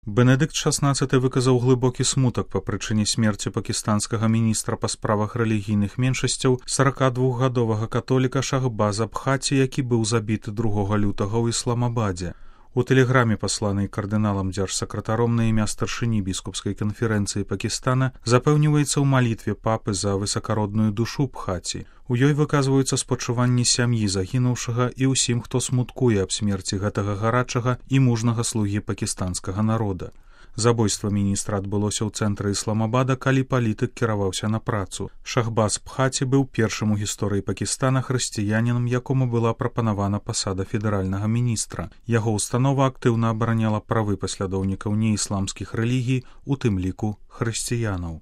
Бенедыкт XVI выказаў глыбокі смутак па прычыне смерці пакістанскага міністра па справах рэлігійных меншасцяў 42гадовага католіка Шахбаза Бхати, які быў забіты 2 лютага ў Ісламабадзе. У тэлеграме, пасланай кардыналам дзяржсакратаром на імя старшыні біскупскай канферэнцыі Пакістана, запэўніваецца ў малітве папы за высакародную душу Бхати. У ёй выказваюцца спачуванні сям'і загінуўшага і ўсім, хто смуткуе аб смерці гэтага гарачага і мужнага слугі пакістанскага народа. Забойства міністра адбылося ў цэнтры Ісламабада, калі палітык кіраваўся на працу. Шахбаз Бхати быў першым у гісторыі Пакістана хрысціянінам, якому была прапанавана пасада федэральнага міністра. Яго установа актыўна абараняла правы паслядоўнікаў неісламскіх рэлігій, у тым ліку хрысціянаў.